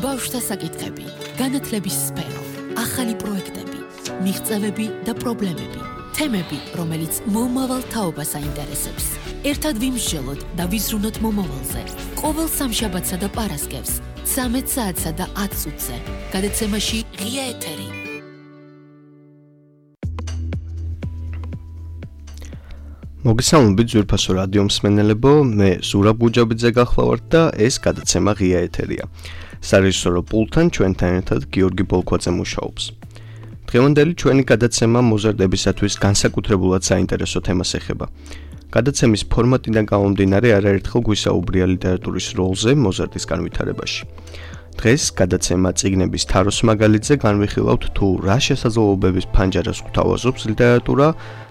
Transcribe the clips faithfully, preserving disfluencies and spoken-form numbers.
ბავშვთა საკითხები, განათლების სფერო, ახალი პროექტები, მიღწევები და პრობლემები, თემები, რომელიც მომავალ თაობას აინტერესებს. ერთად ვიმსჯელოთ და ვიზრუნოთ მომავალზე. ყოველ სამშაბათსა და პარასკევს, ცამეტ საათსა და ათ წუთზე, გადაცემაში ღია ეთერი. მოგესალმებით ძვირფასო რადიო მსმენელებო, მე ზურაბ გუჯაბიძე გახლავართ და ეს გადაცემა ღია ეთერია. სარეჟისორო პულტთან ჩვენთან ერთად გიორგი ბოლქვაძე მუშაობს. დღევანდელი ჩვენი გადაცემა მოზარდებისათვის განსაკუთრებულად საინტერესო თემას ეხება. გადაცემის ფორმატიდან გამომდინარე არაერთხელ გვისაუბრია ლიტერატურის როლზე მოზარდის განვითარებაში. დღეს გადაცემა წიგნების თაროს მაგალითზე განვიხილავთ თუ რა შესაძლებლობების ფანჯარას გვთავაზობს ლიტერატურა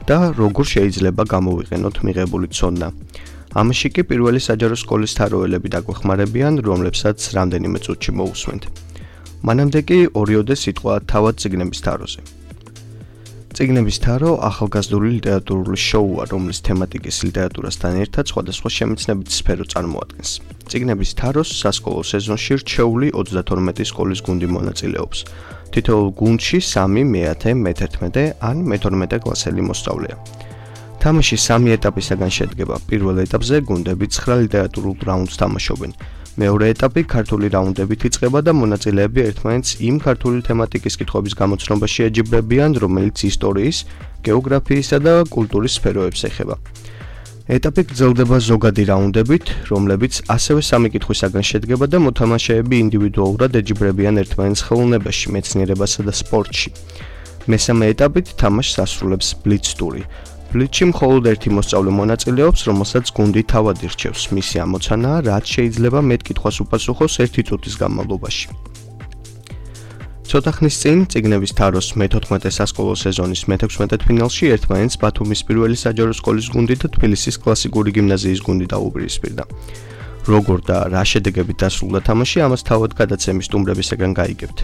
და როგორ შეიძლება გამოვიყენოთ მიღებული ცოდნა. ამაში კი პირველი საჯარო სკოლის თაროელები დაგვეხმარებიან, რომლებსაც რამდენიმე წუთში მოусვენთ. მანამდე კი ორიოდე სიტყვა თავად წიგნების თაროზე. წიგნების თარო ახალგაზრდული ლიტერატურული შოუა, რომლის თემატიკის ლიტერატურასთან ერთად სხვადასხვა შემეცნებით სფერო წარმოადგენს. წიგნების თაროს სასკოლო სეზონში რჩეული ოცდათორმეტი სკოლის გუნდი მონაწილეობს. თითოეულ გუნდში სამი, მეათე, მეთერთმეტე ან მეთორმეტე კლასელი მოსწავლეა. თამაში სამი ეტაპისაგან შედგება. პირველ ეტაპზე გუნდები ცხრა ლიტერატურულ რაუნდს თამაშობენ. მეორე ეტაპი ქართული რაუნდებით იწყება და მონაწილეები ერთმანეთს იმ ქართული თემატიკის კითხვების გამოცნობაში ეჯიბრებიან, რომელიც ისტორიის, გეოგრაფიისა და კულტურის სფეროებს ეხება. ეტაპი გრძელდება ზოგადი რაუნდებით, რომლებიც ასევე სამი კითხვისაგან შედგება და მოთამაშეები ინდივიდუალურად ეჯიბრებიან ერთმანეთს ხელოვნებაში, მეცნიერებასა და სპორტში. მესამე ეტაპით თამაშს ასრულებს ბლიც ტური. ბლიცში მხოლოდ ერთი მოსწავლე მონაწილეობს, რომელსაც გუნდი თავად ირჩევს. მისი ამოცანაა, რაც შეიძლება მეტ კითხვას უპასუხოს ერთი წუთის განმავლობაში. ცოტა ხნის წინ წიგნების თაროს მეთოთხმეტე სასკოლო სეზონის მეთექვსმეტე ფინალში ერთმანეთს ბათუმის პირველი საჯარო სკოლის გუნდი და თბილისის კლასიკური გიმნაზიის გუნდი დაუპირისპირდა. როგორ და რა შედეგებით დასრულდა თამაში, ამას თავად გადაცემის სტუმრებისგან გაიგებთ.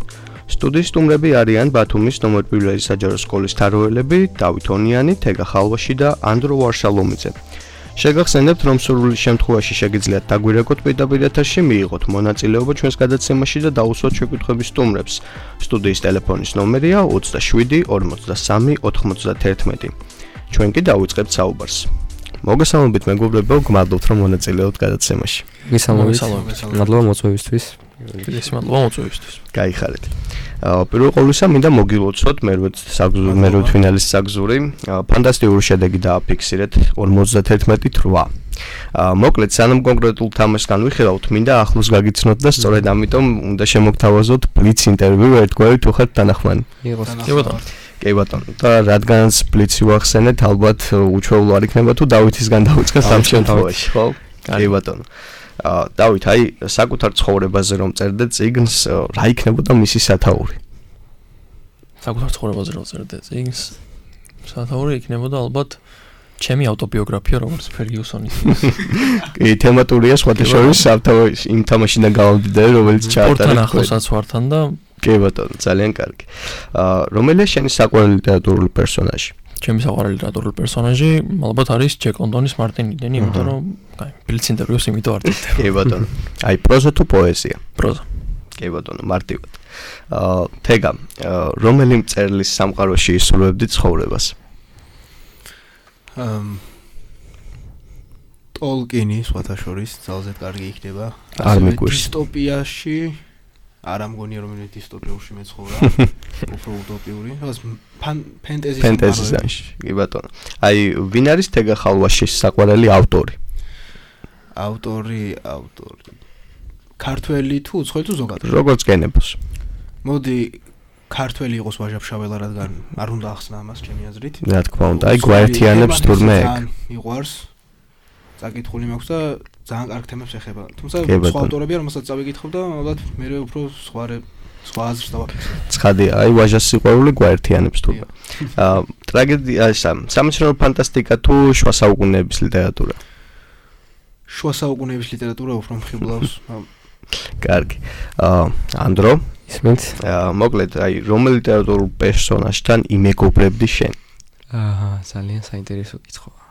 სტუდიის სტუმრები არიან ბათუმის ნომერ პირველი საჯარო სკოლის თაროელები დავით ონიანი, თეგა ხალვაში და ანდრო ვარშალომიძე. შეგახსენებთ, რომ სურვილის შემთხვევაში შეგიძლიათ დაგვირეკოთ პირდაპირ ეთერში, მიიღოთ მონაწილეობა ჩვენს გადაცემაში და დაუსვათ შეკვითხების სტუმრებს. სტუდიის ტელეფონის ნომერია ოცდაშვიდი ორმოცდასამი ოთხმოცდათერთმეტი. ჩვენ კი დავიწყებთ საუბარს. მოგესალმებით მეგობრებო, გმადლობთ რომ მონაწილეობთ გადაცემაში. მოგესალმებით. მადლობა მოწვევისთვის. ეს მადლობა მოწვევისთვის. გაიხარეთ. პირველ ყოვლისა მინდა მოგილოცოთ მერვე ფინალის საგზური. ფანტასტიკური შედეგი დააფიქსირეთ ორმოცდათერთმეტი რვა. მოკლედ სანამ კონკრეტულ თამაშს განვიხილავთ, მინდა ახლოს გაგიცნოთ და სწორედ ამიტომ უნდა შემოგთავაზოთ ბლიც ინტერვიუ ერთგვარი თუ ხართ თანახმანი. იყოს. კი ბატონო. კი ბატონო. და რადგანაც ბლიცი ვახსენეთ, ალბათ უჩვეულო არ იქნება თუ დავითისგან დავიწყოთ ამ შემთხვევაში, ხო? კი ბატონო. დავით, აი საკუთარ ცხოვრებაზე რომ წერდე წიგნს, რა იქნებოდა მისი სათაური? საკუთარ ცხოვრებაზე რომ წერდე წიგნს, სათაური იქნებოდა ალბათ ჩემი ავტობიოგრაფია, როგორც ფერგიუსონის. კი, თემატურია სხვადასხვა სათავეში იმ თამაშიდან გამომდინარე, რომელიც ჩაატარეთ. პორტთან ახლოსაც ვართან და კი ბატონო, ძალიან კარგი. აა რომელია შენი საყვარელი ლიტერატურული პერსონაჟი? ჩემი საყვარელი ლიტერატურული პერსონაჟი ალბათ არის ჯეკ ლონდონის მარტინ იდენი, იმიტომ რომ აი, ბლიც ინტერვიუს იმიტომ არ დევ. კი ბატონო. აი, პროზა თუ პოეზია? პროზა. კი ბატონო, მარტივად. აა თეგა, რომელი მწერლის სამყაროში ისურვებდი ცხოვრებას? ამ ტოლკინი სხვათა შორის ძალზედ კარგი იქნება. არ მიგვირს. დისტოპიაში არ ამგონია რომ მე დისტოპიაში მეცხოვრა. უფრო უტოპიური. რაღაც ფენტეზის ფენტეზის ჟანრი. კი ბატონო. აი, ვინ არის თეგა ხალვაშის საყვარელი ავტორი? ავტორი, ავტორი. ქართველი თუ უცხოელი თუ ზოგადად? როგორც გენებოს. მოდი ქართველი იყოს ვაჟაფშაველა, რადგან არ უნდა ახსნა ამას ჩემი აზრით. რა თქმა უნდა, აი გვაერთიანებს თურმე ეგ. მიყვარს. წაკითხული მაქვს და ძალიან კარგ თემებს ეხება. თუმცა სხვა ავტორებია, რომელსაც წავიკითხავ და ალბათ მე უფრო სხვა სხვა აზრს დავაფიქსირე. ცხადია, აი ვაჟას სიყვარული გვაერთიანებს თურმე. აა ტრაგედია, სამეცნიერო ფანტასტიკა თუ შუა საუკუნეების ლიტერატურა? შუა საუკუნეების ლიტერატურა უფრო მხიბლავს. კარგი. აა ანდრო, ისმენთ? აა მოკლედ, აი რომელ ლიტერატურულ პერსონაჟთან იმეგობრებდი შენ? აჰა, ძალიან საინტერესო კითხვაა.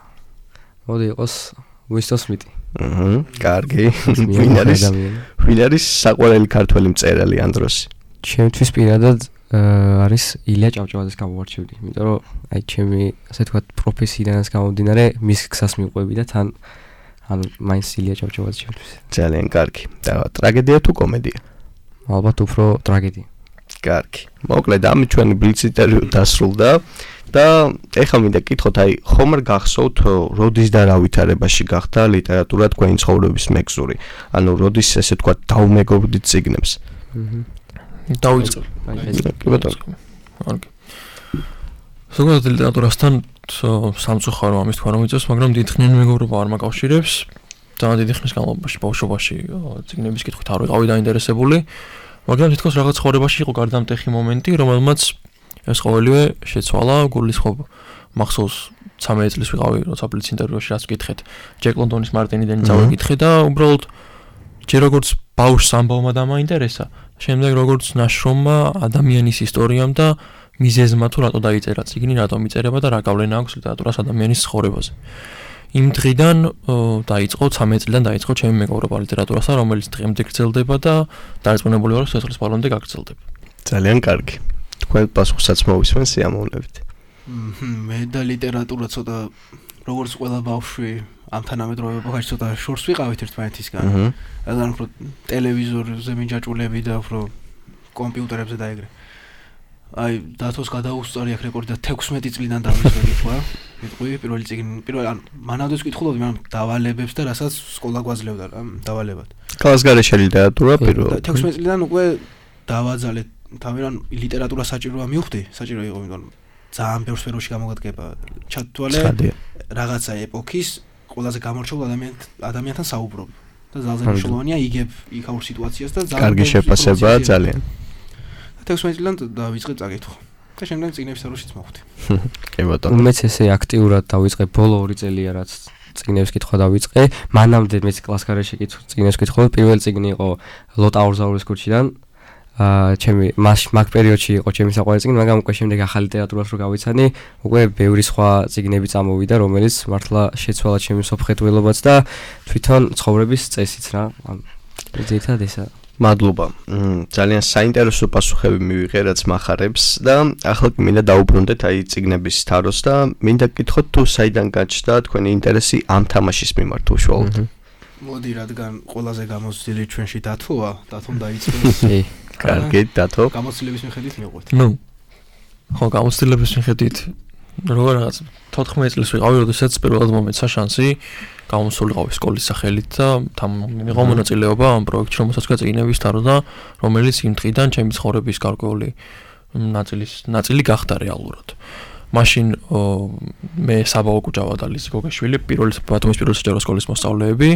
მოდი იყოს Will Smith. აჰა, კარგი. ვინ არის? ვინ არის საყვარელი ქართველი მწერალი ამ დროს? ჩემთვის პირადად არის ილია ჭავჭავაძეს გამოვარჩევდი, იმიტომ რომ აი ჩემი ასე თქვა პროფესიიდანაც გამომდინარე მის გზას მიყვები და თან ანუ მაინც ილია ჭავჭავაძე ჩემთვის. ძალიან კარგი. და ტრაგედია თუ კომედია? ალბათ უფრო ტრაგედია. კარგი. მოკლედ ამით ჩვენი ბლიც ინტერვიუ დასრულდა და ეხლა მინდა გითხოთ, აი ხომ არ გახსოვთ, როდის და რა ვითარებაში გახდა ლიტერატურა თქვენი ცხოვრების მეგზური? ანუ როდის ესე თქვა დაუმეგობრდით წიგნებს? აჰა. დავიწყებ. კი ბატონო. კარგი. ზოგადად ლიტერატურასთან სამწუხარო ამის თქვა რომ იწევს, მაგრამ დიდხნიანი მეგობრობა არ მაკავშირებს. ძალიან დიდი ხნის განმავლობაში ბავშვობაში წიგნების კითხვით არ ვიყავი დაინტერესებული, მაგრამ თითქოს რაღაც ცხოვრებაში იყო გარდამტეხი მომენტი, რომელმაც ეს ყოველივე შეცვალა. გულისხმობ მახსოვს ცამეტ წლის ვიყავი, როცა ბლიც ინტერვიუში რაც ვკითხეთ, ჯეკ ლონდონის მარტინიდან წავიკითხე და უბრალოდ ჯერ როგორც ბავშვს ამბავმა დამაინტერესა, შემდეგ როგორც ნაშრომმა ადამიანის ისტორიამ და მიზეზმა თუ რატო დაიწერა წიგნი, რატომ იწერება და რა გავლენა აქვს ლიტერატურას ადამიანის ცხოვრებაზე. იმ დღიდან დაიწყო ცამეტ წლიდან დაიწყო ჩემი მეგობრობა ლიტერატურასთან, რომელიც დღემდე გრძელდება და დარწმუნებული ვარ, რომ სიცოცხლის ბოლომდე გაგრძელდება. ძალიან კარგი. თქვენ პასუხსაც მოვისმენ სიამოვნებით. მე და ლიტერატურა ცოტა როგორც ყველა ბავშვი ამ თანამედროვე ეპოქაში ცოტა შორს ვიყავით ერთმანეთისგან. რადგან უფრო ტელევიზორზე მიჯაჭულები და უფრო კომპიუტერებზე და ეგრე. აი დათოს გადაუსწარი აქ რეკორდი და თექვსმეტი წლიდან დავიწყე თქვა. მიტყვი პირველი წიგნი, პირველ ან მანავდეს ვკითხულობდი, მაგრამ დავალებებს და რასაც სკოლა გვაძლევდა რა, დავალებად. კალასგარეშე ლიტერატურა პირველ. თექვსმეტი წლიდან უკვე დავაძალე თავი რან ლიტერატურა საჭიროა მივხვდი, საჭირო იყო, იმიტომ რომ ძალიან ბევრ სფეროში გამოგადგება. ჩათვალე რაღაცა ეპოქის ყველაზე გამორჩეულ ადამიან ადამიანთან საუბრობ და ძალიან მნიშვნელოვანია იგებ იქაურ სიტუაციას და ძალიან კარგი შეფასებაა ძალიან. თექვსმეტი წლიდან დავიწყე წაკითხვა და შემდეგ წიგნების სფეროშიც მოვხვდი. კი ბატონო. მეც ესე აქტიურად დავიწყე ბოლო ორი წელია რაც წიგნების კითხვა დავიწყე. მანამდე მეც კლასგარეშე წიგნებს კითხულობ. პირველი წიგნი იყო ლოტა ორზაურის ქუჩიდან. აა ჩემი მაგ პერიოდში იყო ჩემი საყვარელი წიგნი, მაგრამ უკვე შემდეგ ახალი ლიტერატურას რო გავიცანი, უკვე ბევრი სხვა წიგნები წამოვიდა, რომელიც მართლა შეცვალა ჩემი სოფხეთველობაც და თვითონ ცხოვრების წესიც რა. ზეითად ესა. მადლობა. ძალიან საინტერესო პასუხები მივიღე, რაც מחარებს და ახლა მინდა დაუბრუნდეთ აი წიგნების თაროს და მინდა გკითხოთ თუ საიდან გაჩნდა თქვენი ინტერესი ამ თამაშის მიმართ უშუალოდ. მოდი, რადგან ყველაზე გამოცდილი ჩვენში დათოა, დათომ დაიწყოს. კარგი, დათო. გამოცდილების მიხედვით მივყვეთ. ნუ. ხო, გამოცდილების მიხედვით როგორ რაღაც თოთხმეტ წელს ვიყავი, როდესაც პირველად მომეცა შანსი გამოსულიყავი სკოლის სახელით და თან მიიღო მონაწილეობა ამ პროექტში, რომელსაც ქვია წიგნების თარო და რომელიც იმ დღიდან ჩემი ცხოვრების გარკვეული ნაწილის ნაწილი გახდა რეალურად. მაშინ მე საბაო კუჭავა და ლიზი გოგაშვილი პირველი ბათუმის პირველი საჯარო სკოლის მოსწავლეები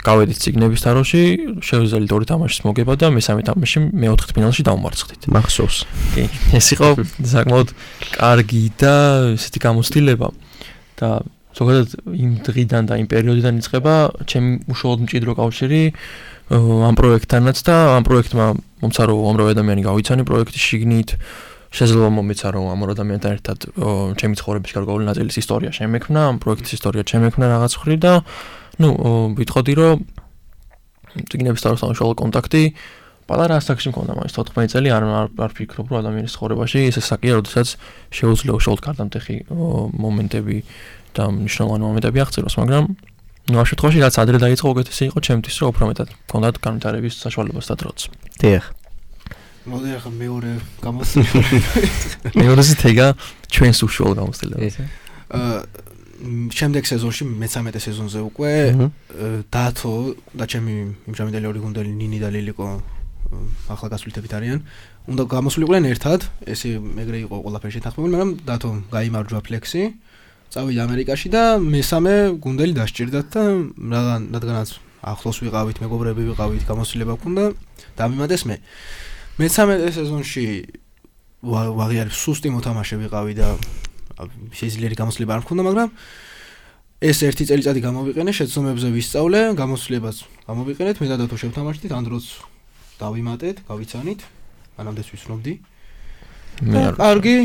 გავედით წიგნების თაროში, შევძელით ორი თამაშის მოგება და მესამე თამაში მეოთხე ფინალში დავმარცხდით. მახსოვს. კი, ეს იყო საკმაოდ კარგი და ესეთი გამოცდილება და ზოგადად იმ დღიდან და იმ პერიოდიდან იწყება ჩემი უშუალოდ მჭიდრო კავშირი ამ პროექტთანაც და ამ პროექტმა მომცა რომ უამრავი ადამიანი გავიცანი პროექტის შიგნით შეიძლება მომეცა რომ ამ ადამიანთან ერთად ჩემი ცხოვრების გარკვეული ნაწილის ისტორია შემექმნა, ამ პროექტის ისტორია შემექმნა რაღაც ხრი და ნუ ვიტყოდი რომ წიგნების თაროსთან უშუალო კონტაქტი პატარა ასაკში მქონდა მაინც თოთხმეტი წელი არ არ ვფიქრობ რომ ადამიანის ცხოვრებაში ესე საკია როდესაც შეუძლია უშუალოდ გარდამტეხი მომენტები და მნიშვნელოვანი მომენტები აღწეროს, მაგრამ ნუ ამ შემთხვევაში რაც ადრე დაიწყო უკეთესი იყო ჩემთვის რომ უფრო მეტად მქონდათ განვითარების საშუალებაც და დროც. დიახ. მოდი ახლა მეორე გამოცდილება. მეორეზე თეგა ჩვენს უშუალო გამოცდილებას. აა შემდეგ სეზონში მესამე სეზონზე უკვე დათო და ჩემი იმჟამინდელი ორი გუნდელი ნინი და ლილიკო ახლა გასვლითებით არიან. უნდა გამოსულიყვნენ ერთად, ესე ეგრე იყო ყველაფერი შეთანხმებული, მაგრამ დათო გაიმარჯვა ფლექსი, წავიდა ამერიკაში და მესამე გუნდელი დასჭირდათ და რადგან რადგანაც ახლოს ვიყავით, მეგობრები ვიყავით, გამოსულება გქონდა, დამიმატეს მე. მესამე სეზონში ვაღიარებ სუსტი მოთამაშე ვიყავი და შეიძლება გამოსულება არ მქონდა, მაგრამ ეს ერთი წელიწადი გამოვიყენე, შეცდომებზე ვისწავლე, გამოსულებას გამოვიყენეთ, მე და დათო შევთამაშდით, ამ დროს დავიმატეთ, გავიცანით, მანამდე ვისნობდი. მე არ კარგი,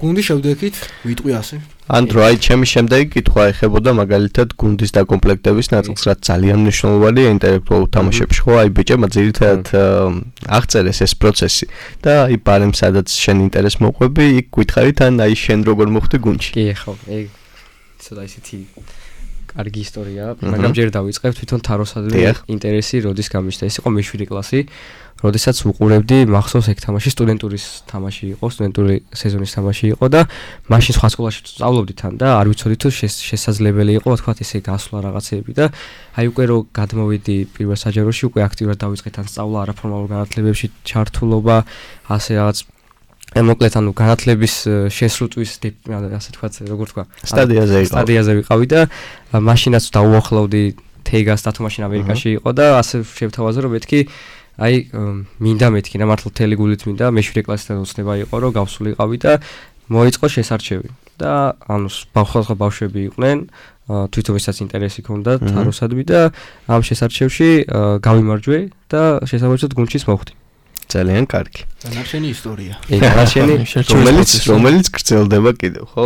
გუნდი შევდექით, ვიტყვი ასე. ანდრო, აი ჩემი შემდეგი კითხვა ეხებოდა მაგალითად გუნდის დაკომპლექტების ნაწილს, რაც ძალიან მნიშვნელოვანია ინტელექტუალურ თამაშებში, ხო? აი ბიჭებმა ძირითადად აღწერეს ეს პროცესი და აი ბარემ სადაც შენ ინტერესს მოყვები, იქ გითხარით ან აი შენ როგორ მოხვდი გუნდში? კი, ხო, ეგ ცოტა ისეთი კარგი ისტორია, მაგრამ ჯერ დავიწყებ თვითონ თაროსადმი ინტერესი როდის გამიშთა. ეს იყო მეშვიდე კლასი, როდესაც უყურებდი მახსოვს ეგ თამაში სტუდენტურის თამაში იყო, სტუდენტური სეზონის თამაში იყო და მაშინ სხვა სკოლაში სწავლობდი თან და არ ვიცოდი თუ შესაძლებელი იყო თქვა ესე გასვლა რაღაცეები და აი უკვე რო გადმოვიდი პირველ საჯაროში უკვე აქტიურად დავიწყე თან სწავლა არაფორმალურ განათლებებში ჩართულობა, ასე რაღაც მოკლედ ანუ განათლების შესრულთვის ასე თქვა როგორ თქვა სტადიაზე იყო. სტადიაზე ვიყავი და მაშინაც დაუახლოვდი თეგას და თუ მაშინ ამერიკაში იყო და ასე შევთავაზე რომ მეთქი აი მინდა მეთქი რა მართლა მთელი გულით მინდა მეშვიდე კლასიდან ოცნება იყო რომ გავსულიყავი და მოიწყო შესარჩევი და ანუ ბავშვი ბავშვები იყვნენ თვითონ ვისაც ინტერესი ჰქონდათ თაროსადმი და ამ შესარჩევში გავიმარჯვე და შესაბამისად გუნდშიც მოვხდი. ძალიან კარგი. დანარჩენი ისტორია. ეგ დანარჩენი რომელიც რომელიც გრძელდება კიდევ, ხო?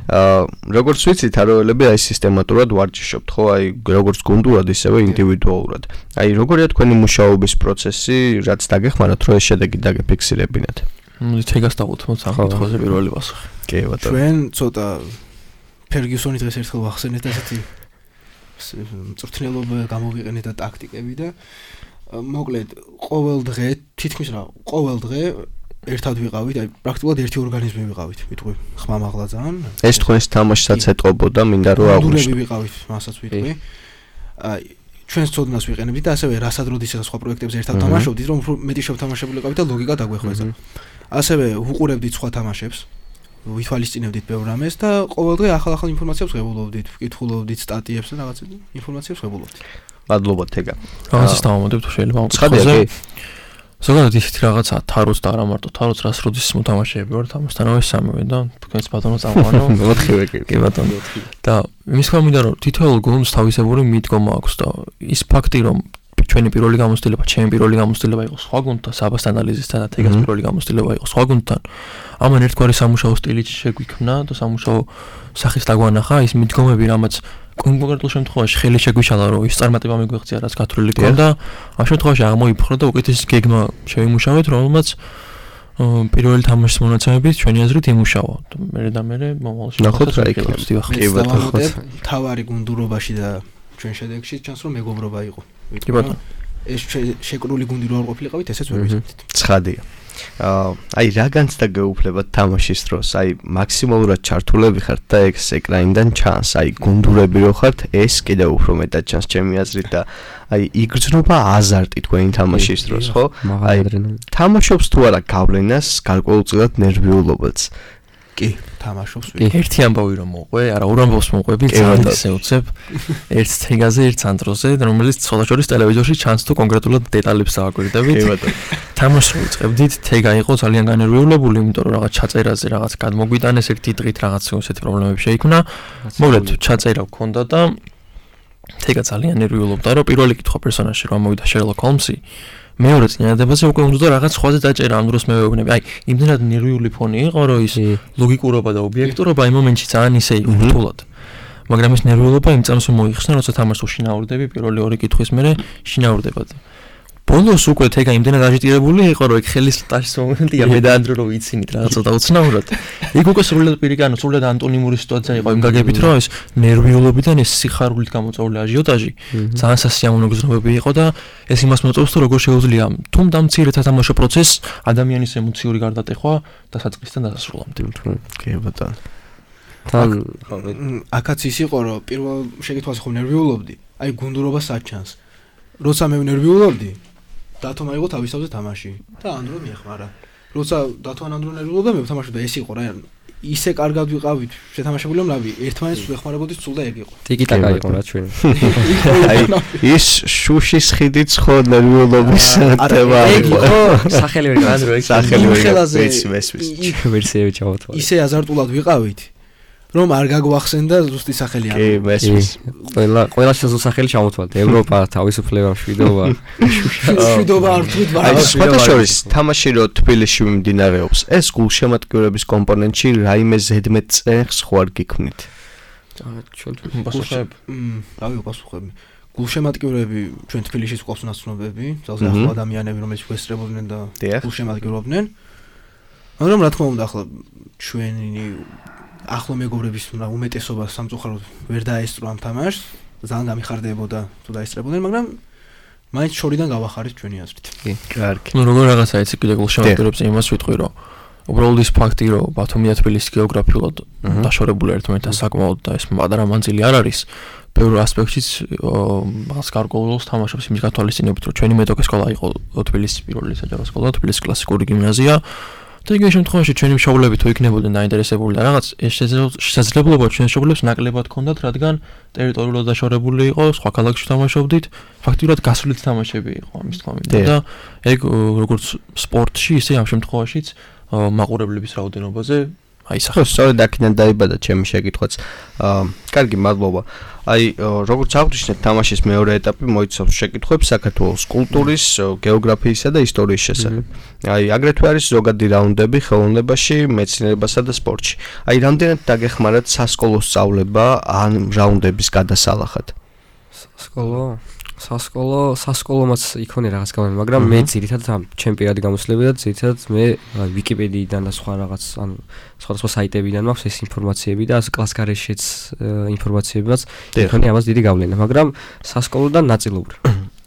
აა როგორც ვიცით, თაროელები აი სისტემატურად ვარჯიშობთ, ხო? აი როგორც გუნდურად, ისევე ინდივიდუალურად. აი როგორია თქვენი მუშაობის პროცესი, რაც დაგეხმაროთ, რომ ეს შედეგი დაგეფიქსირებინათ? მოდი თეგას დავუთმოთ ამ კითხვაზე პირველი პასუხი. კი, ბატონო. ჩვენ ცოტა ფერგიუსონი დღეს ერთხელ ვახსენეთ ასეთი მწვრთნელობა გამოვიყენეთ და ტაქტიკები და მოკლედ ყოველ დღე თითქმის რა ყოველ დღე ერთად ვიყავით, აი პრაქტიკულად ერთი ორგანიზმი ვიყავით, ვიტყვი, ხმამაღლა ძალიან. ეს თქვენს თამაშსაც ეტყობოდა, მინდა რომ აღვნიშნო. ვიყავით, მასაც ვიტყვი. აი ჩვენს ცოდნას ვიყენებდით და ასევე რასად როდესაც სხვა პროექტებზე ერთად თამაშობდით, რომ მეტი შევთამაშებული ყავით და ლოგიკა დაგვეხვეწა. ასევე ვუყურებდით სხვა თამაშებს, ვითვალისწინებდით ბევრ რამეს და ყოველ დღე ახალ-ახალ ინფორმაციებს ვღებულობდით, ვკითხულობდით სტატიებს და რაღაც ინფორმაციებს ვღებულობდით. მადლობა თეგა. რაღაცას დავამოდებთ შეიძლება მოგწოდე. ზოგადად ისეთი რაღაცა თაროს და არა მარტო თაროს რას როდის მოთამაშეები ვართ ამასთანავე სამივე და თქვენს ბატონო წამოვანო მოთხივე კი ბატონო და იმის თქმა მინდა რომ თითოეულ გუნდს თავისებური მიდგომა აქვს და ის ფაქტი რომ ჩვენი პირველი გამოცდილება, ჩემი პირველი გამოცდილება იყო სხვა გუნდთან, საბას ანალიზისთან და თეგას პირველი გამოცდილება იყო სხვა გუნდთან. ამან ერთგვარი სამუშაო სტილი შეგვიქმნა და სამუშაო სახის დაგვანახა ის მიდგომები, რამაც კონკრეტულ შემთხვევაში ხელი შეგვიშალა, რომ ის წარმატება მიგვეღწია, რაც გათვლილი ქონდა. ამ შემთხვევაში აღმოიფხრო და უკეთესი გეგმა შევიმუშავეთ, რომელმაც პირველი თამაშის მონაცემებით ჩვენი აზრით იმუშავა. მერე და მერე მომავალში ნახოთ რა იქნება. კი ბატონო, თავარი გუნდურობაში და ჩვენ შედეგში ჩანს რომ მეგობრობა იყო. კი ბატონო. ეს შეკრული გუნდი რო არ ყოფილიყავით, ესეც ვერ ვიცოდით. ცხადია. აა აი რა განცდა გეუფლებათ თამაშის დროს? აი მაქსიმალურად ჩართულები ხართ და ეს ეკრანიდან ჩანს. აი გუნდურები რო ხართ, ეს კიდევ უფრო მეტად ჩანს ჩემი აზრით და აი იგრძნობა აზარტი თქვენი თამაშის დროს, ხო? აი თამაშობს თუ არა გავლენას, გარკვეულწილად ნერვიულობაც. კი, თამაშობს ვი. ერთი ამბავი რომ მოყვე, არა ორ ამბავს მოყვები, ძალიან ისე უცებ. ერთ თეგაზე, ერთ სანტროზე, რომელიც ცოლაშორის ტელევიზორში ჩანს თუ კონკრეტულად დეტალებს აგვირდებით. კი ბატონო. თამაშს ვიწყებდით, თეგა იყო ძალიან განერვიულებული, იმიტომ რომ რაღაც ჩაწერაზე რაღაც გადმოგვიტანეს ერთი დღით რაღაც ესეთი პრობლემები შეიქმნა. მოკლედ ჩაწერა გქონდა და თეგა ძალიან ნერვიულობდა, რომ პირველი კითხვა პერსონაჟში რომ მოვიდა შერლოკ ჰოლმსი. მეორე წინადადებაზე უკვე უნდა რაღაც სხვაზე დაჭერა ამ დროს მე ვეუბნები. აი, იმდენად ნერვიული ფონი იყო, რომ ის ლოგიკურობა და ობიექტურობა იმ მომენტში ძალიან ისე იყო რთულად. მაგრამ ეს ნერვიულობა იმ წამს მოიხსნა, როცა თამაშს უშინაურდები, პირველი ორი კითხვის მერე შინაურდებად. ბოლოს უკვე თეგა იმდენად აჟიტირებული იყო, რომ ეგ ხელის ტაშის მომენტია, მე და ანდრო რო ვიცინით რაღაც ცოტა უცნაურად. იქ უკვე სრულად პირიქან, სრულად ანტონიმური სიტუაცია იყო იმ გაგებით, რომ ეს ნერვიულობიდან ეს სიხარულით გამოწვეული აჟიოტაჟი ძალიან სასიამოვნო გზნობები იყო და ეს იმას მოწევს, თუ როგორ შეუძლია თუმცა მცირე თამაშო პროცესს ადამიანის ემოციური გარდატეხვა დასაწყისთან დასასრულამდე. კი ბატონო. თან აქაც ის იყო, რომ პირველ შეკითხვაზე ხომ ნერვიულობდი, აი გუნდურობა საჩანს. როცა მე ნერვიულობდი დათო მაიღო თავისთავზე თამაში და ანდრო მიეხმარა. როცა დათო ანდრო ნერვიულობდა მე ვთამაშობ და ეს იყო რა ისე კარგად ვიყავით შეთამაშებული რომ რავი ერთმანეთს ვეხმარებოდით სულ და ეგ იყო. ტიკიტაკა იყო რა ჩვენ. აი ის შუშის ხიდიც ხო ნერვიულობის თემა იყო. სახელი ვერ განდრო ეგ სახელი ვერ გასვეს ვერსიები ჩავთვალე. ისე აზარტულად ვიყავით რომ არ გაგვახსენდა ზუსტი სახელი კი, მესმის. ყველა ყველა შესაძლო სახელი ჩამოთვალთ. ევროპა, თავისუფლება, მშვიდობა. მშვიდობა არ თვით ვარ. აი, სხვადასხვა თამაში რო თბილისში მიმდინარეობს, ეს გულშემატკივრების კომპონენტში რაიმე ზედმეტ წეხს ხო არ გიქმნით? ჩვენ პასუხები. რავი, პასუხები. გულშემატკივრები ჩვენ თბილისში გვყავს ნაცნობები, ძალზე ახლო ადამიანები, რომლებიც გვესწრებოდნენ და გულშემატკივრობდნენ. მაგრამ რა თქმა უნდა, ახლა ჩვენი ახლო მეგობრების უმეტესობა სამწუხაროდ ვერ დაესწრო ამ თამაშს, ძალიან დამიხარდებოდა თუ დაესწრებოდნენ, მაგრამ მაინც შორიდან გავახარით ჩვენი აზრით. კი, კარგი. ნუ როგორ რაღაცა იცი კიდე გულშემატკივრებს იმას ვიტყვი, რომ უბრალოდ ის ფაქტი, რომ ბათუმი და თბილისი გეოგრაფიულად დაშორებული ერთმანეთთან საკმაოდ და ეს პატარა მანძილი არ არის, ბევრ ასპექტშიც მას გარკვეულს თამაშობს იმის გათვალისწინებით, რომ ჩვენი მეტოქე სკოლა იყო თბილისის პირველი საჯარო სკოლა, თბილისის კლასიკური გიმნაზია. და იგივე შემთხვევაში ჩვენი მშობლები თუ იქნებოდნენ დაინტერესებული და რაღაც ეს შესაძლებლობა ჩვენი მშობლებს ნაკლებად ჰქონდათ, რადგან ტერიტორიულად დაშორებული იყო, სხვა ქალაქებში თამაშობდით, ფაქტიურად გასვლით თამაშები იყო ამის თქმა მინდა და ეგ როგორც სპორტში, ისე ამ შემთხვევაშიც მაყურებლების რაოდენობაზე აისახა. სწორედ აქედან დაიბადა ჩემი შეკითხვაც. აა, კარგი, მადლობა. აი, როგორც აღნიშნეთ, თამაშის მეორე ეტაპი მოიცავს შეკითხვებს საქართველოს კულტურის, გეოგრაფიისა და ისტორიის შესახებ. აი, აგრეთვე არის ზოგადი რაუნდები ხელოვნებაში, მეცნიერებასა და სპორტში. აი, რამდენად დაგეხმარათ სასკოლო სწავლება ან რაუნდების გადასალახად? სასკოლო სასკოლო სასკოლომაც იქონია რაღაც გამო, მაგრამ მე ძირითადად ჩემ პირადი გამოსვლები და ძირითადად მე ვიკიპედიიდან და სხვა რაღაც ან სხვადასხვა საიტებიდან მაქვს ეს ინფორმაციები და კლასგარეშეც ინფორმაციებიც იქონია ამას დიდი გავლენა, მაგრამ სასკოლოდან ნაწილობრივ.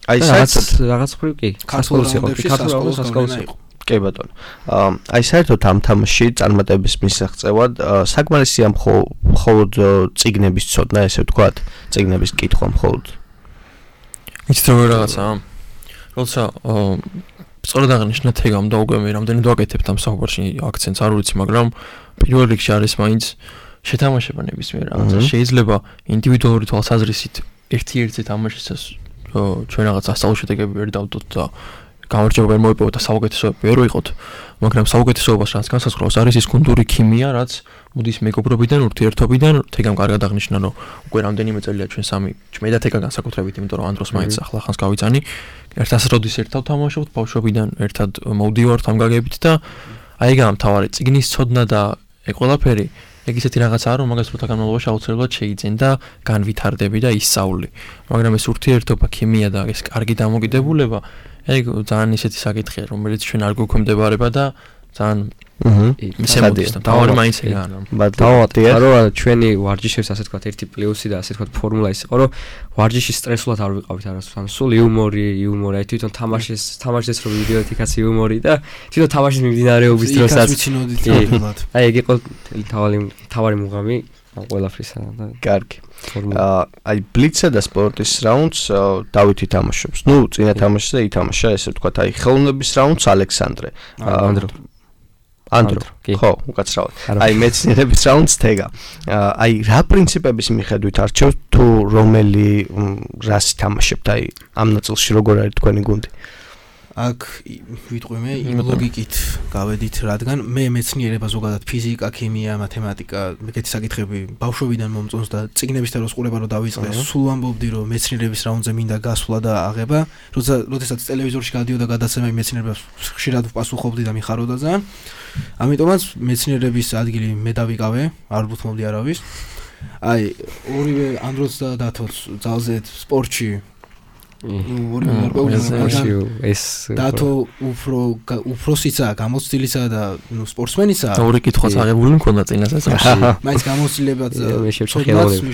აი საერთოდ რაღაც ხრივ კი, სასკოლოს იყო, ქართულ სასკოლოს იყო. კი ბატონო. აი საერთოდ ამ თამაში წარმატების მისაღწევად საკმარისია მხოლოდ წიგნების ცოდნა, ესე ვთქვათ, წიგნების კითხვა მხოლოდ. იცით როგორ რაღაცა? როცა სწორად აღნიშნეთ ეგამ და უკვე მე რამდენი დავაკეთებთ ამ საუბარში აქცენტს არ ვიცი, მაგრამ პირველ რიგში არის მაინც შეთამაშება ნებისმიერ რაღაცა. შეიძლება ინდივიდუალური თვალსაზრისით ერთი-ერთი თამაშისას ჩვენ რაღაც ასწავლო შედეგები ვერ დავდოთ და გამარჯვება ვერ მოიპოვოთ და საუკეთესოები ვერ ვიყოთ, მაგრამ საუკეთესოებას რაც განსაზღვრავს არის ის გუნდური ქიმია, რაც მოდის მეგობრობიდან, ურთიერთობიდან. თეგამ კარგად აღნიშნა, რომ უკვე რამდენიმე წელია ჩვენ სამი, მე და თეგა განსაკუთრებით, იმიტომ რომ ანდროს მაინც ახლა ხანს გავიცანი, ერთად როდის ერთად თამაშობთ, ბავშვობიდან ერთად მოვდივართ ამ გაგებით და აი ეგაა მთავარი წიგნის ცოდნა და ეგ ყველაფერი, ეგ ისეთი რაღაცაა, რომ მაგას როცა განმავლობაში აუცილებლად შეიძენ და განვითარდები და ისწავლი. მაგრამ ეს ურთიერთობა, ქიმია და ეს კარგი დამოკიდებულება ეგ ძალიან ისეთი საკითხია, რომელიც ჩვენ არ გვექვემდებარება და ძალიან მისემოდის და თავი მაინც ეგაა. დავატია რომ ჩვენი ვარჯიშებს ასე თქვა ერთი პლუსი და ასე თქვა ფორმულა ის იყო, რომ ვარჯიში სტრესულად არ ვიყავით არასდროს. სულ იუმორი, იუმორი, აი თვითონ თამაშის თამაშის რო ვიდეოთ იქაც იუმორი და თვითონ თამაშის მიმდინარეობის დროსაც აი ეგ იყო თავი თავი მუღამი ყველაფრისა და კარგი. აი ბლიცსა და სპორტის რაუნდს დავითი თამაშობს. ნუ წინა თამაშზე ითამაშა, ესე ვთქვათ, აი ხელოვნების რაუნდს ალექსანდრე. ანდრო ანდრო, ხო, უკაცრავად. აი მეცნიერების რაუნდს თეგა. აი რა პრინციპების მიხედვით არჩევთ თუ რომელი რასი თამაშებთ? აი ამ ნაწილში როგორ არის თქვენი გუნდი? აქ ვიტყვი მე იმ ლოგიკით გავედით, რადგან მე მეცნიერება ზოგადად ფიზიკა, ქიმია, მათემატიკა, მეგეთი საკითხები ბავშვობიდან მომწონს და წიგნების თეროს ყურება რო დავიწყე, სულ ამბობდი რომ მეცნიერების რაუნდზე მინდა გასვლა და აღება, როცა როდესაც ტელევიზორში გადიოდა გადაცემა იმ მეცნიერებას ხშირად ვპასუხობდი და მიხარობდა ძალიან. ამიტომაც მეცნიერების ადგილი მე დავიკავე, არ ვუთმობდი არავის. აი ორივე ანდროც და დათოც ძალზედ სპორტში ეს დათო უფრო უფროსიცა, გამოცდილისა და ნუ სპორტსმენიცა. ორი კითხვაც აღებული მქონდა წინასაც. მაინც გამოცდილებაც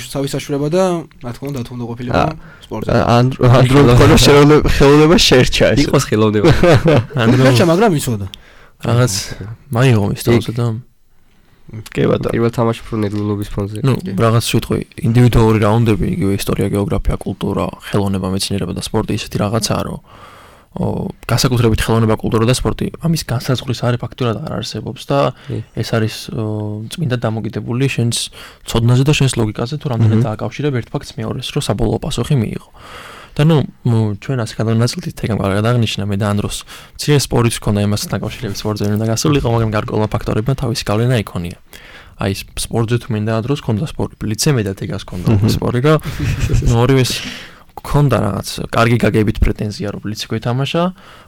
სავისაშურება და რა თქმა უნდა დათო უნდა ყოფილიყო სპორტზე. ანდრო მქონდა ხელოვნება შერჩა ეს. იყოს ხელოვნება. ანდრო შერჩა, მაგრამ იცოდა. რაღაც მაიღო ის თავზე და კი ბატონო. პირველ თამაში უფრო ნერვიულობის ფონზე. ნუ რაღაც ვიტყვი, ინდივიდუალური რაუნდები, იგივე ისტორია, გეოგრაფია, კულტურა, ხელოვნება, მეცნიერება და სპორტი ისეთი რაღაცაა, რომ განსაკუთრებით ხელოვნება, კულტურა და სპორტი ამის განსაზღვრის არის ფაქტურად არ არსებობს და ეს არის წმინდა დამოკიდებული შენს ცოდნაზე და შენს ლოგიკაზე, თუ რამდენად დააკავშირებ ერთ ფაქტს მეორეს, რომ საბოლოო პასუხი მიიღო. და ნუ ჩვენ ასე გადავინაწილდით, თეგამ კარგად აღნიშნა მე და ანდროს მცირე სპორტს ჰქონდა იმასთან დაკავშირებით სპორტზე უნდა გასულიყო, მაგრამ გარკვეულმა ფაქტორებმა თავისი გავლენა იქონია. აი სპორტზე თუ მინდა დროს ქონდა სპორტი, ბლიცზე მე და თეგას ქონდა სპორტი რა. ნუ ორივეს ქონდა რაღაც კარგი გაგებით პრეტენზია რომ ბლიცი გვეთამაშა.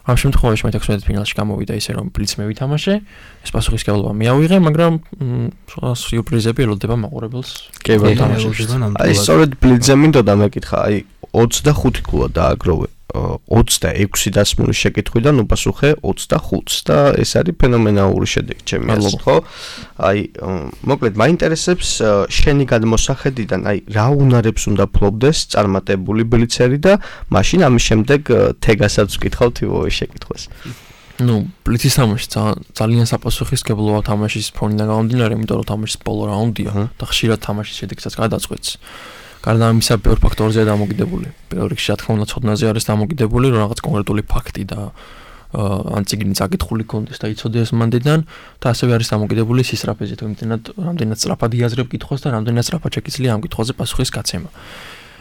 ამ შემთხვევაში მე თექვსმეტ ფინალში გამოვიდა ისე რომ ბლიცი მე ვითამაშე. ეს პასუხისმგებლობა მიავიღე, მაგრამ სიურპრიზები ელოდება მაყურებელს. კი ბატონო. აი სწორედ ბლიცზე მინდოდა მეკითხა, აი ოცდახუთი გოლა დააგროვე. ოცდაექვსი დასმული შეკითხვიდან უპასუხე ოცდახუთს და ეს არის ფენომენალური შედეგი ჩემი აზრით, ხო? აი, მოკლედ მაინტერესებს შენი გადმოსახედიდან, აი, რა უნარებს უნდა ფლობდეს წარმატებული ბლიცერი და მაშინ ამის შემდეგ თეგასაც ვკითხავთ იმავე შეკითხვას. ნუ, ბლიცის თამაში ძალიან საპასუხისმგებლოა თამაშის ფონიდან გამომდინარე, იმიტომ რომ თამაშის ბოლო რაუნდია და ხშირად თამაშის შედეგსაც გადაწყვეტს. გარდა ამისა, ბევრ ფაქტორზეა დამოკიდებული. პირველ რიგში, რა თქმა უნდა, ცოდნაზე არის დამოკიდებული, რომ რაღაც კონკრეტული ფაქტი და ან წიგნი წაკითხული კონდეს და იცოდეს მანდიდან და ასევე არის დამოკიდებული სისწრაფეზე, თუ იმდენად რამდენად სწრაფად იაზრებ კითხვას და რამდენად სწრაფად შეგიძლია ამ კითხვაზე პასუხის გაცემა.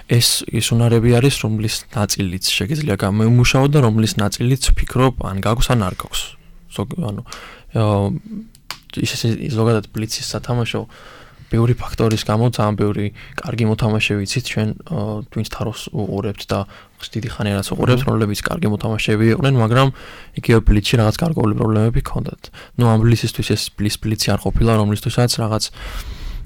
ეს ის უნარები არის, რომლის ნაწილიც შეგიძლია გამოიმუშაო და რომლის ნაწილიც ვფიქრობ, ან გაქვს ან არ გაქვს. ანუ ისე ზოგადად ბლიცის სათამაშო ბევრი ფაქტორის გამო ძალიან ბევრი კარგი მოთამაშე ვიცით ჩვენ twins თაროს უყურებთ და დიდი ხანი რაც უყურებთ, რომლებიც კარგი მოთამაშეები იყვნენ, მაგრამ იგივე ბლიცში რაღაც გარკვეული პრობლემები ჰქონდათ. ნუ ამ ბლიცისთვის ეს ბლის ბლიცი არ ყოფილა, რომლისთვისაც რაღაც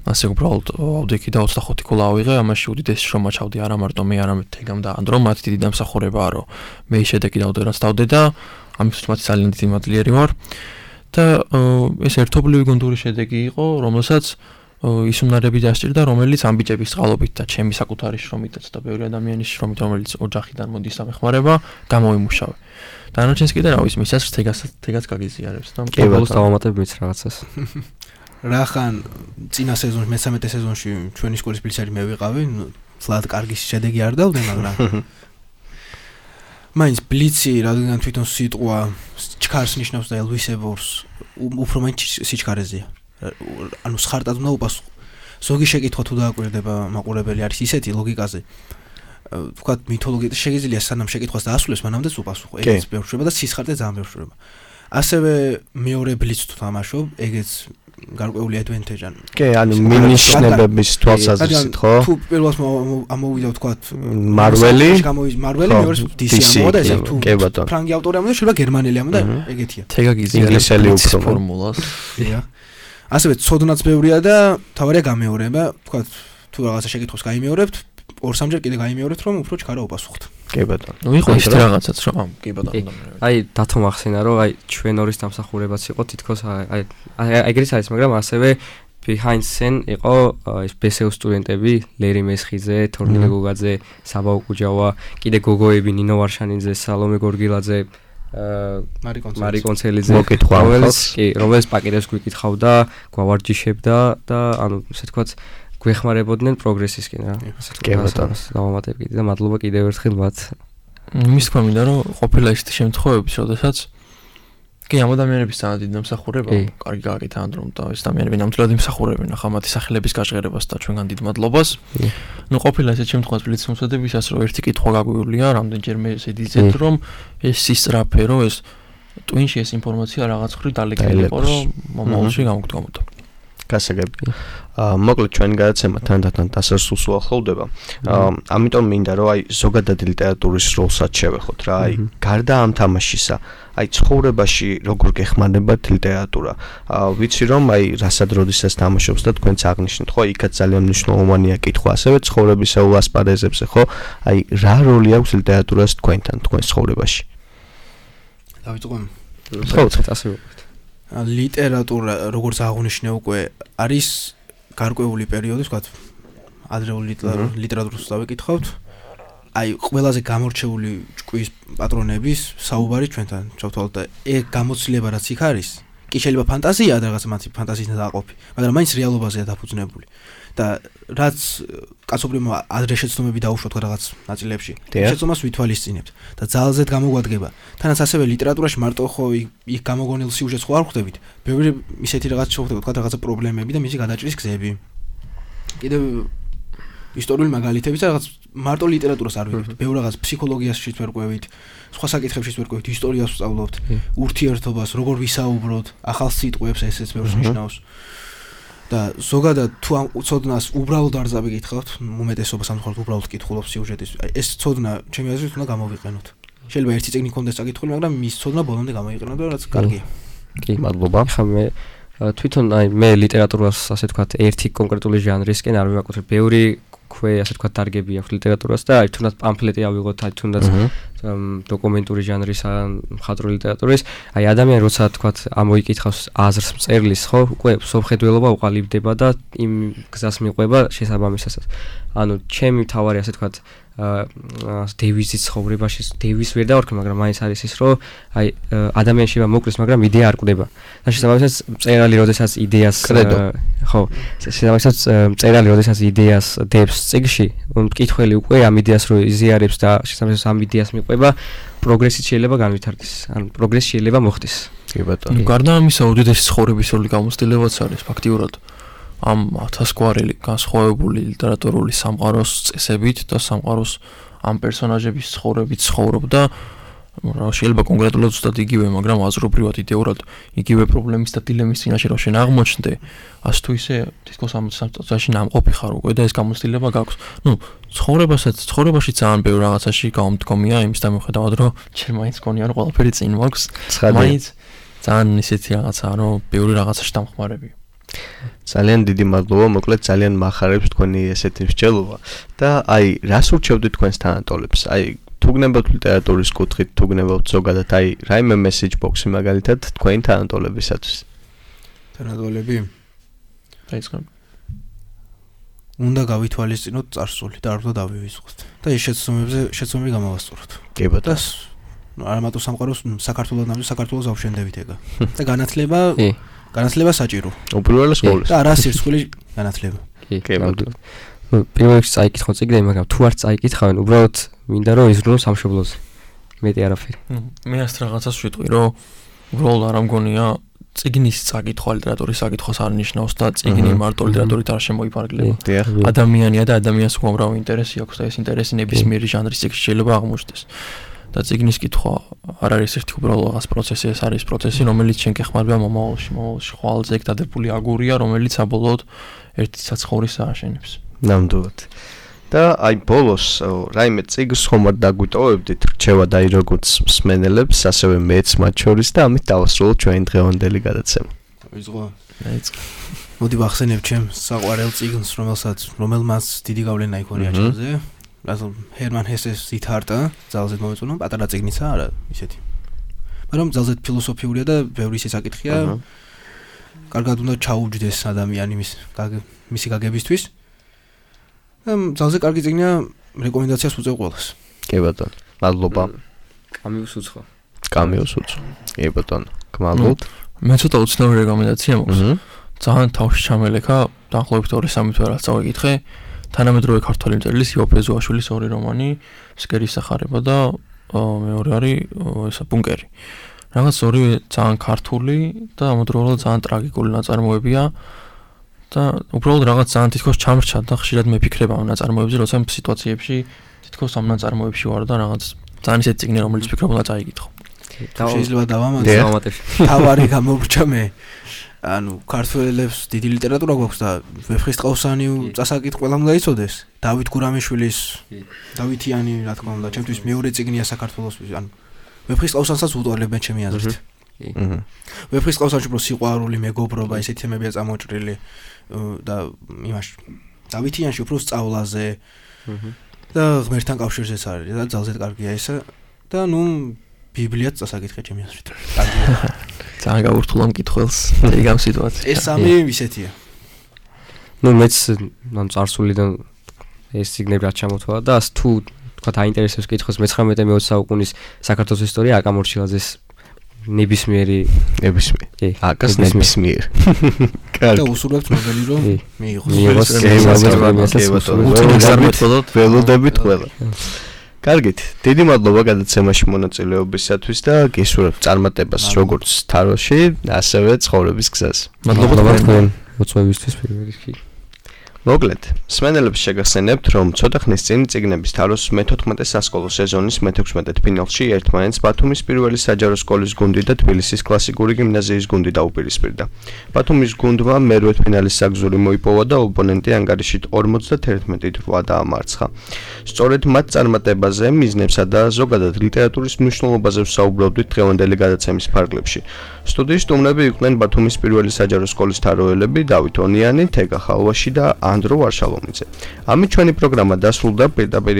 ასე უბრალოდ ავდექი და ოცდახუთი გოლა ავიღე, ამაში უდიდესი შრომა ჩავდი არა მარტო მე, არამედ თეგამ და ანდრო, მათ დიდი დამსახურებაა, რომ მე შედეგი დავდე რაც დავდე და ამისთვის მათ ძალიან დიდი მადლიერი ვარ. და ეს ერთობლივი გუნდური შედეგი იყო, რომელსაც ის უნარები დასჭირდა, რომელიც ამ ბიჭების წყალობით და ჩემი საკუთარი შრომითაც და ბევრი ადამიანის შრომით, რომელიც ოჯახიდან მოდის და მეხმარება, გამოვიმუშავე. დანარჩენს კიდე რა ვიცი, მისაც თეგას თეგას გაგიზიარებს და კებელს დავამატებ მიც რაღაცას. რახან წინა სეზონში, მესამე სეზონში ჩვენი სკოლის ბლიცერი მე ვიყავი, ფლად კარგი შედეგი არ დავდე, მაგრამ მაინც ბლიცი, რადგან თვითონ სიტყვა ჩქარს ნიშნავს და ელვისებორს, უფრო მაინც სიჩქარეზეა. ანუ სხარტად უნდა უპასუხო. ზოგი შეკითხვა თუ დააკვირდება მაყურებელი არის ისეთი ლოგიკაზე. ვთქვათ, მითოლოგიით შეგიძლია სანამ შეკითხვას დაასრულოს, მანამდეც უპასუხო. ეგეც ბევრ შრება და სისხარტე ძალიან ბევრ შრება. ასევე მეორე ბლიცს თუ თამაშობ, ეგეც გარკვეული ადვენტეჯი ან კი, ანუ მინიშნებების თვალსაზრისით, ხო? თუ პირველს ამოვიდა ვთქვათ, მარველი, გამოვიდა მარველი, მეორეს დისი ამოდა ესე თუ ფრანგი ავტორი ამოდა, შეიძლება გერმანელი ამოდა, ეგეთია. თეგაგიზი ინგლისელი უფრო ფორმულას. დია. ასევე ცოდნაც ბევრია და თავარია გამეორება, ვთქვათ, თუ რაღაცა შეკითხვას გაიმეორებთ, ორ-სამჯერ კიდე გაიმეორებთ, რომ უფრო ჩქარა უპასუხოთ. კი ბატონო. ნუ იყო ის რაღაცაც, რომ კი ბატონო. აი, დათო მახსენა, რომ აი ჩვენ ორის დამსახურებაც იყო თითქოს აი ეგრეც არის, მაგრამ ასევე behind scene იყო ეს ბესეუ სტუდენტები, ლერი მესხიძე, თორნილე გოგაძე, საბა უკუჯავა, კიდე გოგოები, ნინო ვარშანიძე, სალომე გორგილაძე, მარი კონცელიძე, რომელიც კი, რომელიც პაკეტებს გვიკითხავდა, გვავარჯიშებდა და ანუ ესე თქვაც გვეხმარებოდნენ პროგრესისკენ რა. ასე თქვა, დავამატებ კიდე და მადლობა კიდევ ერთხელ მათ. მის თქმა მინდა რომ ყოფილა ისეთი შემთხვევები, როდესაც კი ამ ადამიანების ძალიან დიდი დამსახურება, კარგი გააკეთა ანდრომ და ეს ადამიანები ნამდვილად იმსახურებენ ახლა მათი სახელების გაჟღერებას და ჩვენგან დიდ მადლობას. ნუ ყოფილა ესეთ შემთხვევაში ბლიცს მომსადებისას რომ ერთი კითხვა გაგვივლია, რამდენჯერმე ესე დიზეთ რომ ეს სისწრაფე რომ ეს ტვინში ეს ინფორმაცია რაღაც ხრი დალეგილი იყო რომ მომავალში გამოგდგომოდა. გასაგები. აა მოკლედ ჩვენი გადაცემა თანდათან დასასრულს უახლოვდება. აა ამიტომ მინდა რომ აი ზოგადად ლიტერატურის როლსაც შევეხოთ რა. აი გარდა ამ თამაშისა, აი ცხოვრებაში როგორ გეხმარებათ ლიტერატურა. აა ვიცი რომ აი რასად როდესაც თამაშობს და თქვენც აღნიშნეთ, ხო, იქაც ძალიან მნიშვნელოვანია კითხვა, ასევე ცხოვრებისეულ ასპარეზებზე, ხო? აი რა როლი აქვს ლიტერატურას თქვენთან, თქვენს ცხოვრებაში? დავიწყო. ხო, ასე ვიყავით. ლიტერატურა, როგორც აღნიშნე უკვე, არის გარკვეული პერიოდი, ვთქვათ, ადრეული ლიტერატურას დავიკითხავთ. აი, ყველაზე გამორჩეული ჭკუის პატრონების საუბარი ჩვენთან ჩავთვალოთ და ეგ გამოცდილება რაც იქ არის, კი შეიძლება ფანტაზიაა და რაღაც მათი ფანტაზიის დააყოფი, მაგრამ მაინც რეალობაზეა დაფუძნებული. და რაც კაცობრიობა ადრე შეცდომები დაუშვათ რაღაც ნაწილებში, შეცდომას ვითვალისწინებთ და ძალზედ გამოგვადგება. თანაც ასევე ლიტერატურაში მარტო ხო იქ გამოგონილ სიუჟეტს ხო არ ხვდებით. ბევრი ისეთი რაღაც შევხვდებით, თქვა რაღაცა პრობლემები და მისი გადაჭრის გზები. კიდევ ისტორიული მაგალითები და რაღაც მარტო ლიტერატურას არ ვიღებთ. ბევრ რაღაც ფსიქოლოგიაშიც ვერ ყვევით, სხვა საკითხებშიც ვერ ყვევით, ისტორიას ვსწავლობთ, ურთიერთობას, როგორ ვისაუბროთ, ახალ სიტყვებს ესეც ბევრს ნიშნავს. და ზოგადად თუ ამ ცოდნას უბრალოდ არ წავიკითხავთ, უმეტესობა სამწუხაროდ უბრალოდ კითხულობს სიუჟეტის. ეს ცოდნა ჩემი აზრით უნდა გამოვიყენოთ. შეიძლება ერთი წიგნი კონდეს წაკითხული, მაგრამ მის ცოდნა ბოლომდე გამოიყენოთ და რაც კარგია. კი, მადლობა. ხა მე თვითონ აი მე ლიტერატურას ასე ვთქვათ ერთი კონკრეტული ჟანრისკენ არ ვიმაკუთრებ. ბევრი ქვე ასე ვთქვათ დარგები აქვს ლიტერატურას და აი თუნდაც პამფლეტი ავიღოთ, აი თუნდაც დოკუმენტური ჟანრის ან მხატვრული ლიტერატურის, აი ადამიანი როცა ვთქვათ ამოიკითხავს აზრს მწერლის, ხო, უკვე სოფხედველობა უყალიბდება და იმ გზას მიყვება შესაბამისასაც. ანუ ჩემი თავარი ასე ვთქვათ აა დევიზის ცხოვრებაში დევის ვერ დავარქმევ, მაგრამ მაინც არის ის, რომ აი ადამიანი შეიძლება მოკლის, მაგრამ იდეა არ კვდება. და შესაბამისად მწერალი როდესაც იდეას ხო, შესაბამისად მწერალი როდესაც იდეას დებს წიგნში, მკითხველი უკვე ამ იდეას რო იზიარებს და შესაბამისად ამ იდეას მიყვება, პროგრესიც შეიძლება განვითარდეს. ანუ პროგრესი შეიძლება მოხდეს. კი ბატონო. გარდა ამისა, უდიდესი ცხოვრებისეული გამოცდილებაც არის ფაქტიურად ამ ათასგვარელი განსხვავებული ლიტერატურული სამყაროს წესებით და სამყაროს ამ პერსონაჟების ცხოვრებით ცხოვრობდა, რა შეიძლება კონკრეტულად ზუსტად იგივე, მაგრამ აზრობრივად იდეურად იგივე პრობლემის და დილემის წინაშე რო შენ აღმოჩნდე, ასე თუ ისე თითქოს ამ წუთში ნამყოფი ხარ უკვე და ეს გამოცდილება გაქვს. ნუ ცხოვრებასაც ცხოვრებაში ძალიან ბევრ რაღაცაში გამომდგომია იმის დამოხედავად, რომ ჩემ მაინც მგონია რომ ყველაფერი წინ მაქვს. მაინც ძალიან ისეთი რაღაცაა, რომ ბევრი რაღაცაში დამხმარები. ძალიან დიდი მადლობა, მოკლედ ძალიან მახარებს თქვენი ესეთი მსჯელობა და აი რას ურჩევთ თქვენს თანატოლებს? აი თუ გნებავთ ლიტერატურის კუთხით, თუ გნებავთ ზოგადად აი რაიმე message box-ი მაგალითად თქვენი თანატოლებისათვის. თანატოლები? დაიწყებ. უნდა გავითვალისწინოთ წარსული და არ უნდა დავივიწყოთ. და ეს შეცდომებზე შეცდომები გამოვასწოროთ. კი ბატონო. არა მარტო სამყაროს საქართველოს ნამდვილ საქართველოს ავშენდებით ეგა. და განათლება განათლება საჭირო. უპირველეს ყოვლისა. და არა სირცხვილი განათლება. კი, კი ბატონო. პირველ რიგში წაიკითხო წიგნები, მაგრამ თუ არ წაიკითხავენ, უბრალოდ მინდა რომ იზრუნო სამშობლოზე. მეტი არაფერი. მე ასეთ რაღაცას ვიტყვი, რომ უბრალოდ არ ამგონია წიგნის წაკითხვა ლიტერატურის საკითხოს არ ნიშნავს და წიგნი მარტო ლიტერატურით არ შემოიფარგლება. ადამიანია და ადამიანს უამრავი ინტერესი აქვს და ეს ინტერესი ნებისმიერი ჟანრის წიგნში შეიძლება აღმოჩნდეს. და წიგნის კითხვა არ არის ერთი უბრალოდ რაღაც პროცესი, ეს არის პროცესი, რომელიც შენ გეხმარება მომავალში, მომავალში ხვალზე ეგ დადებული აგურია, რომელიც საბოლოოდ ერთი საცხოვრისს ააშენებს. ნამდვილად. და აი ბოლოს რაიმე წიგნს ხომ არ დაგვიტოვებდით, რჩევა და აი როგორც მსმენელებს, ასევე მეც მათ შორის და ამით დავასრულოთ ჩვენი დღევანდელი გადაცემა. ვიწყო. დაიწყე. მოდი ვახსენებ ჩემს საყვარელ წიგნს, რომელსაც რომელმაც დიდი გავლენა იქონია ჩემზე. რაზო ჰერმან ჰესეს სითარტა, ძალზედ მომეწონა, პატარა წიგნიცა, არა, ისეთი. მაგრამ ძალზედ ფილოსოფიურია და ბევრი საკითხია. კარგად უნდა ჩაუჯდეს ადამიანი მის მისი გაგებისთვის. ძალზე კარგი წიგნია, რეკომენდაციას უწევ ყველას. კი ბატონო. მადლობა. კამიუს უცხო. კამიუს უცხო. კი ბატონო. გმადლობთ. მე ცოტა უცნაური რეკომენდაცია მაქვს. ძალიან თავში ჩამელექა, დაახლოებით ორი სამი თვე რაც წავიკითხე. თანამედროვე ქართველი მწერლის იოფე ზუაშვილის ორი რომანი, ფსკერის სახარება და მეორე არის ესა ბუნკერი. რაღაც ორივე ძალიან ქართული და ამავდროულად ძალიან ტრაგიკული ნაწარმოებია და უბრალოდ რაღაც ძალიან თითქოს ჩამრჩა და ხშირად მეფიქრებ ამ ნაწარმოებზე, როცა სიტუაციებში თითქოს ამ ნაწარმოებში ვარ და რაღაც ძალიან ისეთი წიგნი, რომელიც ფიქრობ უნდა წაიკითხო. შეიძლება დავამატებ. თავარი გამოვრჩა მე. ანუ ქართველებს დიდი ლიტერატურა გვაქვს და ვეფხისტყაოსანი წასაკით ყველამ დაიცოდეს. დავით გურამიშვილის დავითიანი რა თქმა უნდა, ჩემთვის მეორე წიგნია საქართველოსთვის. ანუ ვეფხისტყაოსანსაც უტოლებენ ჩემი აზრით. აჰა. ვეფხისტყაოსანში უფრო სიყვარული, მეგობრობა, ესეთი თემებია წამოჭრილი და იმაში დავითიანში უფრო სწავლაზე. აჰა. და ღმერთთან კავშირზეც არის და ძალზედ კარგია ესა და ნუ ბიბლიაც წასაკითხე ჩემი აზრით. კარგია. ძალიან გაურთულა მკითხველს ეგ ამ სიტუაციაში. ეს სამი ისეთია. ნუ მეც ან წარსულიდან ეს ციგნები რაც ჩამოთვალა და თუ თქვა აინტერესებს კითხოს მეცხრამეტე მეოცე საუკუნის საქართველოს ისტორია აკამორჩილაძეს ნებისმიერი ნებისმიერი. აკას ნებისმიერი. კარგი. და უსურვებთ მოგელი რომ მიიღოს. მიიღოს გემასაც ველოდებით ყველა. კარგით, დიდი მადლობა გადაცემაში მონაწილეობისათვის და გისურვებთ წარმატებას როგორც თაროში, ასევე ცხოვრების გზაზე. მადლობა თქვენ მოწვევისთვის პირველ რიგში. მოკლედ, მსმენელებს შეგახსენებთ, რომ ცოტა ხნის წინ წიგნების თაროს მეთოთხმეტე სასკოლო სეზონის მეთექვსმეტე ფინალში ერთმანეთს ბათუმის პირველი საჯარო სკოლის გუნდი და თბილისის კლასიკური გიმნაზიის გუნდი დაუპირისპირდა. ბათუმის გუნდმა მერვე ფინალის საგზური მოიპოვა და ოპონენტი ანგარიშით ორმოცდათერთმეტით რვა დაამარცხა. სწორედ მათ წარმატებაზე, მიზნებსა და ზოგადად ლიტერატურის მნიშვნელობაზე ვსაუბრობდით დღევანდელი გადაცემის ფარგლებში. სტუდიის სტუმრები იყვნენ ბათუმის პირველი საჯარო სკოლის თაროელები დავით ონიანი, თეგა ხალვაში და ანდრო ვარშალომიძე. ამით ჩვენი პროგრამა დასრულდა. პირდაპირ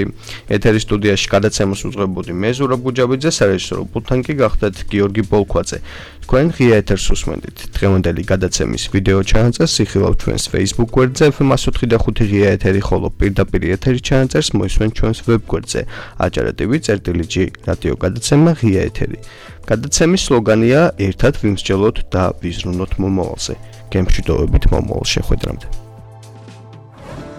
ეთერის სტუდიაში გადაცემას უძღვებოდი მე ზურაბ გუჯაბიძე, სარეჟისორო პულტთან კი გახდათ გიორგი ბოლქვაძე. თქვენ ღია ეთერს უსმენთ. დღევანდელი გადაცემის ვიდეო ჩანაწერს იხილავთ ჩვენს Facebook გვერდზე ეფ ემ one oh five ღია ეთერი, ხოლო პირდაპირ ეთერის ჩანაწერს მოისმენთ ჩვენს ვებ გვერდზე აჭარა ტი ვი წერტილი ჯი რადიო გადაცემა ღია ეთერი. გადაცემის სლოგანია ერთად ვიმსჯელოთ და ვიზრუნოთ მომავალზე. გემშვიდობებით მომავალ შეხვედრამდე.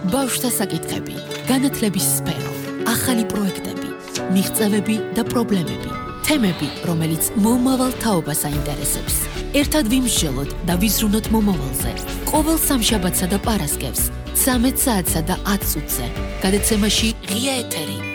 ბავშვთა საკითხები, განათლების სფერო, ახალი პროექტები, მიღწევები და პრობლემები, თემები, რომელიც მომავალ თაობას აინტერესებს. ერთად ვიმსჯელოთ და ვიზრუნოთ მომავალზე. ყოველ სამშაბათსა და პარასკევს, ცამეტ საათსა და ათ წუთზე. გადაცემაში ღია ეთერი.